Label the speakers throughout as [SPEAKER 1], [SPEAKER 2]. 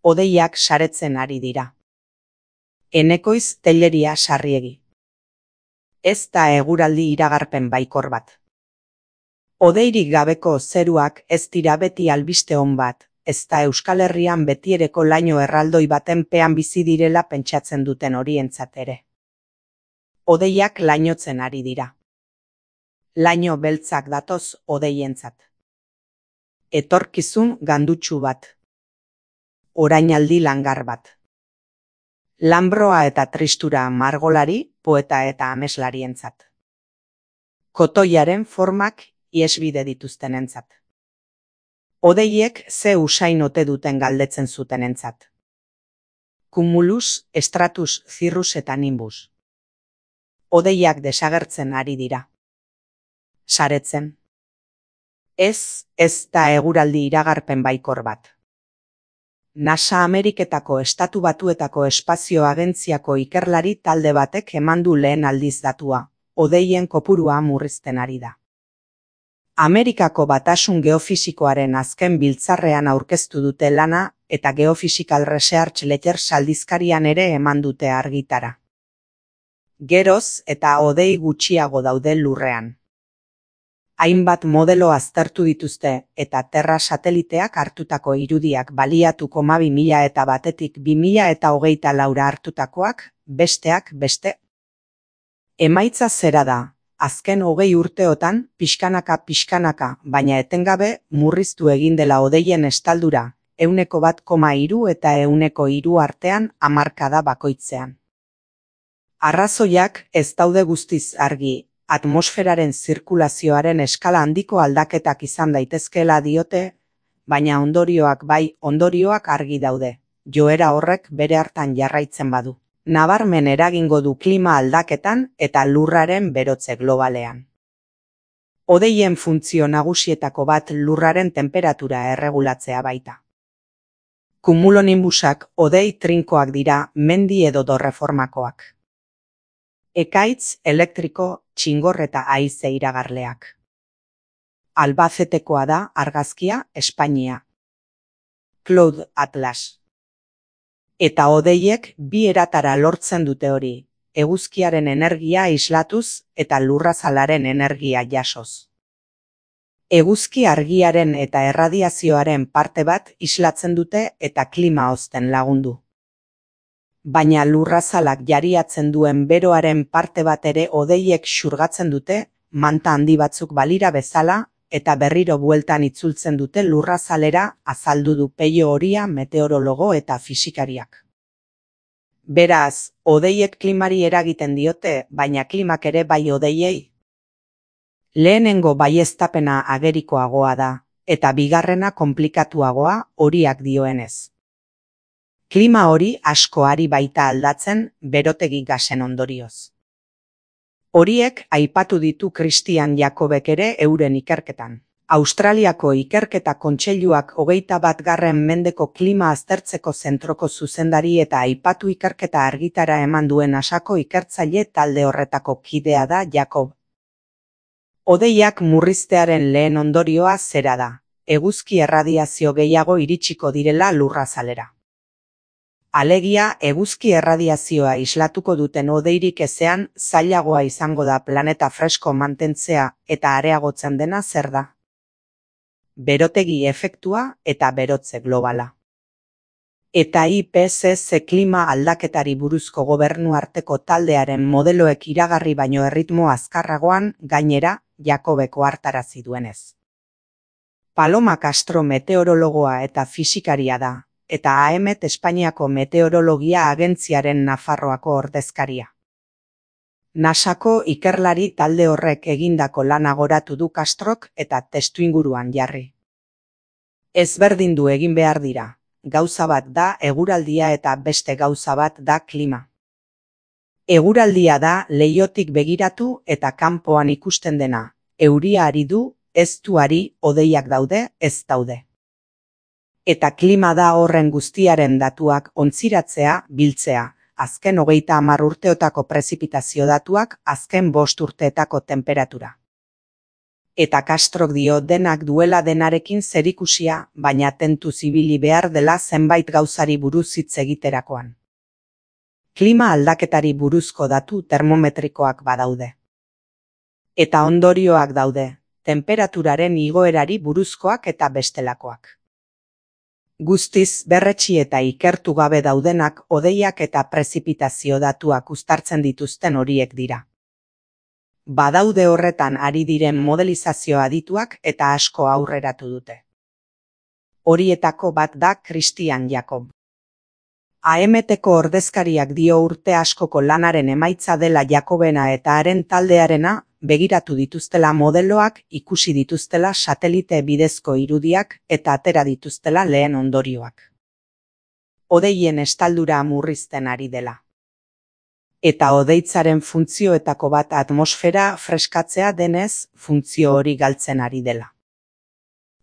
[SPEAKER 1] Hodeiak saretzen ari dira. Enekoiz Telleria Sarriegi. Ez da eguraldi iragarpen baikor bat. Hodeirik gabeko zeruak ez dira beti albiste on bat, ez da Euskal Herrian betiereko laino erraldoi baten pean bizi direla pentsatzen duten horientzat ere. Hodeiak lainotzen ari dira. Laino beltzak datoz hodeientzat. Etorkizun gandutsu bat. Orainaldi langar bat. Lanbroa eta tristura margolari, poeta eta ameslarientzat. Kotoiaren formak iesbide dituztenentzat. Hodeiek ze usain ote duten galdetzen zutenentzat. Cumulus, stratus, cirrus eta nimbus. Hodeiak desagertzen ari dira. Saretzen. Ez da eguraldi iragarpen baikor bat. NASA Ameriketako Estatu Batuetako Espazio Agentziako ikerlari talde batek eman du lehen aldiz datua, hodeien kopurua murrizten ari da. Amerikako Batasun Geofisikoaren azken biltzarrean aurkeztu dute lana eta Geophysical Research Letters aldizkarian ere eman dute argitara. Geroz eta hodei gutxiago daude lurrean. Hainbat modelo aztertu dituzte eta Terra sateliteak hartutako irudiak baliatuko 2001etik 2024 hartutakoak, besteak beste. Emaitza zera da, azken 20 urteotan pixkanaka, baina etengabe murriztu egin dela hodeien estaldura, 1,3 eta 1,3 artean hamarkada bakoitzean. Arrazoiak ez daude guztiz argi. Atmosferaren zirkulazioaren eskala handiko aldaketak izan daitezkeela diote, baina ondorioak argi daude. Joera horrek bere hartan jarraitzen badu. Nabarmen eragingo du klima aldaketan eta lurraren berotze globalean. Hodeien funtzio nagusietako bat lurraren tenperatura erregulatzea baita. Cumulonimbusak hodei trinkoak dira mendi edo dorre formakoak. Ekaitz, elektriko, txingor eta haize iragarleak. Albacetekoa da argazkia Espainia. Cloud Atlas. Eta hodeiek bi eratara lortzen dute hori, eguzkiaren energia islatuz eta lurrazalaren energia jasoz. Eguzki argiaren eta erradiazioaren parte bat islatzen dute eta klima hozten lagundu. Baina lurrazalak jariatzen duen beroaren parte bat ere hodeiek xurgatzen dute, manta handi batzuk balira bezala, eta berriro bueltan itzultzen dute lurrazalera, azaldu du Peio Horia meteorologo eta fisikariak. Beraz, hodeiek klimari eragiten diote, baina klimak ere bai hodeiei. Lehenengo baieztapena agerikoagoa da, eta bigarrena konplikatuagoa Horiak dioenez. Klima hori asko ari baita aldatzen berotegi gasen ondorioz. Horiek aipatu ditu Christian Jacobek ere euren ikerketan. Australiako Ikerketa Kontseiluak 21. mendeko klima aztertzeko zentroko zuzendari eta aipatu ikerketa argitara eman duen asako ikertzaile talde horretako kidea da Jacob. Hodeiak murriztearen lehen ondorioa zera da, eguzki erradiazio gehiago iritsiko direla lurrazalera. Alegia, eguzki erradiazioa islatuko duten hodeirik ezean zailagoa izango da planeta fresko mantentzea eta areagotzen dena zer da. Berotegi efektua eta berotze globala. Eta IPCC klima aldaketari buruzko gobernu arteko taldearen modeloek iragarri baino erritmo azkarragoan gainera Jakobeko hartarazi duenez. Paloma Castro meteorologoa eta fisikaria da. Eta AEMET Espainiako Meteorologia Agentziaren Nafarroako ordezkaria. NASAko ikerlari talde horrek egindako lana goratu du Castrok eta testuinguruan jarri. Ezberdindu egin behar dira, gauza bat da eguraldia eta beste gauza bat da klima. Eguraldia da leihotik begiratu eta kanpoan ikusten dena, euria ari du, ez du ari, hodeiak daude, ez daude. Eta klima da horren guztiaren datuak ontziratzea, biltzea, azken 30 urteotako prezipitazio datuak, azken 5 urteetako temperatura. Eta Castrok dio denak duela denarekin zerikusia, baina tentuz ibili behar dela zenbait gauzari buruz hitz egiterakoan. Klima aldaketari buruzko datu termometrikoak badaude. Eta ondorioak daude, tenperaturaren igoerari buruzkoak eta bestelakoak. Guztiz berretsi eta ikertu gabe daudenak hodeiak eta prezipitazio datuak uztartzen dituzten horiek dira. Badaude horretan ari diren modelizazio adituak eta asko aurreratu dute. Horietako bat da Christian Jakob. AMTko ordezkariak dio urte askoko lanaren emaitza dela Jakobena eta haren taldearena, begiratu dituztela modeloak, ikusi dituztela satelite bidezko irudiak eta atera dituztela lehen ondorioak. Hodeien estaldura murrizten ari dela. Eta hodeitzaren funtzioetako bat atmosfera freskatzea denez, funtzio hori galtzen ari dela.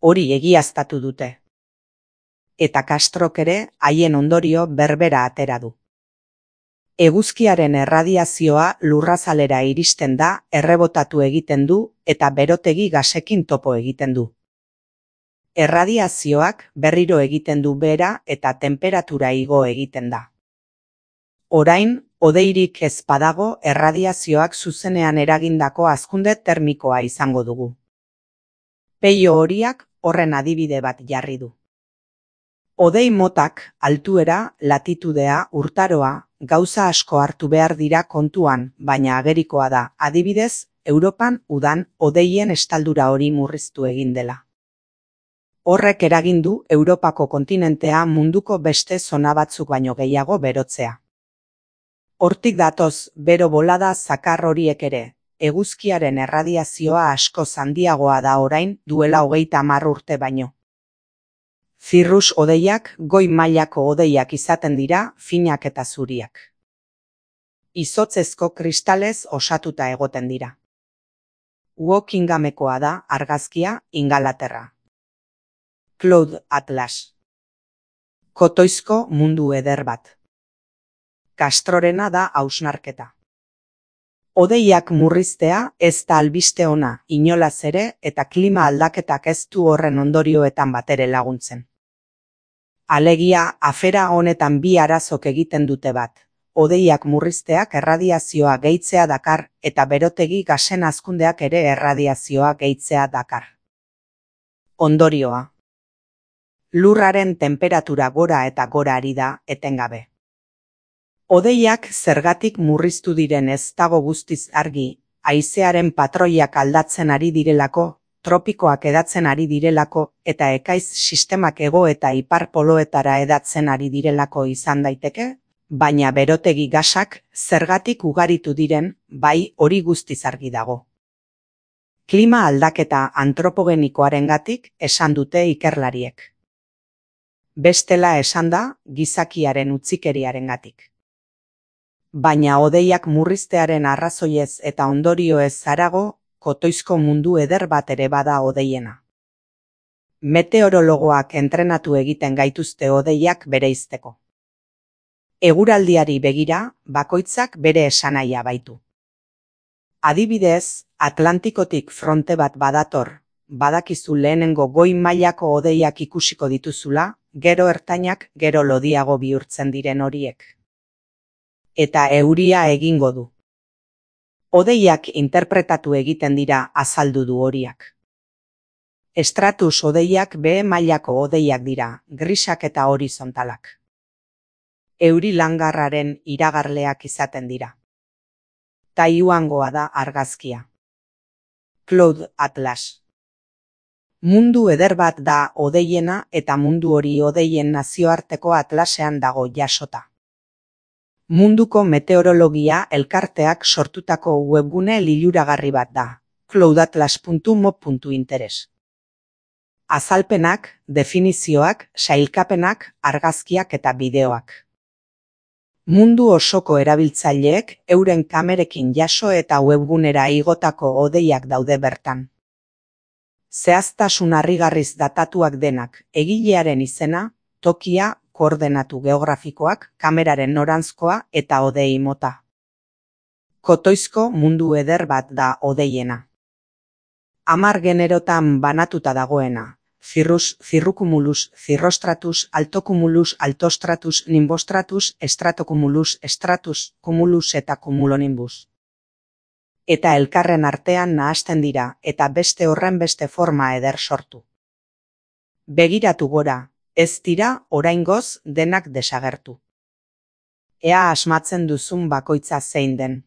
[SPEAKER 1] Hori egiaztatu dute. Eta Castrok ere haien ondorio berbera atera du. Eguzkiaren erradiazioa lurrazalera iristen da, errebotatu egiten du eta berotegi gasekin topo egiten du. Erradiazioak berriro egiten du behera eta tenperatura igo egiten da. Orain, hodeirik ez badago erradiazioak zuzenean eragindako hazkunde termikoa izango dugu. Peio horiak horren adibide bat jarri du. Hodei motak, altuera, latitudea, urtaroa, gauza asko hartu behar dira kontuan, baina agerikoa da, adibidez, Europan udan hodeien estaldura hori murriztu egin dela. Horrek eragin du Europako kontinentea munduko beste zona batzuk baino gehiago berotzea. Hortik datoz, bero bolada zakar horiek ere, eguzkiaren erradiazioa asko handiagoa da orain duela 30 urte baino. Zirrus hodeiak goi mailako hodeiak izaten dira, finak eta zuriak. Izotzezko kristalez osatuta egoten dira. Wokingamekoa da argazkia Ingalaterra. Cloud Atlas. Kotoizko mundu eder bat. Castrorena da hausnarketa. Hodeiak murriztea ez da albiste ona, inolaz ere, eta klima aldaketak ez du horren ondorioetan batere laguntzen. Alegia, afera honetan bi arazok egiten dute bat. Hodeiak murrizteak erradiazioa gehitzea dakar, eta berotegi gasen hazkundeak ere erradiazioa gehitzea dakar. Ondorioa. Lurraren tenperatura gora eta gora ari da, etengabe. Hodeiak zergatik murriztu diren ez dago guztiz argi, haizearen patroiak aldatzen ari direlako, tropikoak edatzen ari direlako, eta ekaiz sistemak hego eta ipar poloetara edatzen ari direlako izan daiteke, baina berotegi gasak zergatik ugaritu diren, bai hori guztiz argi dago. Klima aldaketa antropogenikoarengatik esan dute ikerlariek. Bestela esan da, gizakiaren utzikeriarengatik. Baina hodeiak murriztearen arrazoiez eta ondorioez harago, kotoizko mundu eder bat ere bada hodeiena. Meteorologoak entrenatu egiten gaituzte hodeiak bereizteko. Eguraldiari begira, bakoitzak bere esanahia baitu. Adibidez, Atlantikotik fronte bat badator, badakizu lehenengo goi mailako hodeiak ikusiko dituzula, gero ertainak gero lodiago bihurtzen diren horiek. Eta euria egingo du. Hodeiak interpretatu egiten dira azaldu du horiak. Estratus hodeiak behe mailako hodeiak dira, grisak eta horizontalak. Euri langarraren iragarleak izaten dira. Taiwangoa da argazkia. Cloud Atlas. Mundu eder bat da hodeiena eta mundu hori hodeien nazioarteko atlasean dago jasota. Munduko meteorologia elkarteak sortutako webgune liluragarri bat da, cloudatlas.mo.interes. Azalpenak, definizioak, sailkapenak, argazkiak eta bideoak. Mundu osoko erabiltzaileek euren kamerekin jaso eta webgunera igotako hodeiak daude bertan. Zehaztasun harrigarriz datatuak denak, egilearen izena, tokia, koordenatu geografikoak, kameraren noranzkoa eta hodei mota. Kotoizko mundu eder bat da hodeiena. 10 generotan banatuta dagoena. Cirrus, Cirrucumulus, Cirrostratus, Altocumulus, Altostratus, Nimbostratus, Stratocumulus, Stratus, Cumulus eta Cumulonimbus. Eta elkarren artean nahasten dira, eta beste horren beste forma eder sortu. Begiratu gora, ez dira oraingoz denak desagertu. Ea asmatzen duzun bakoitza zein den.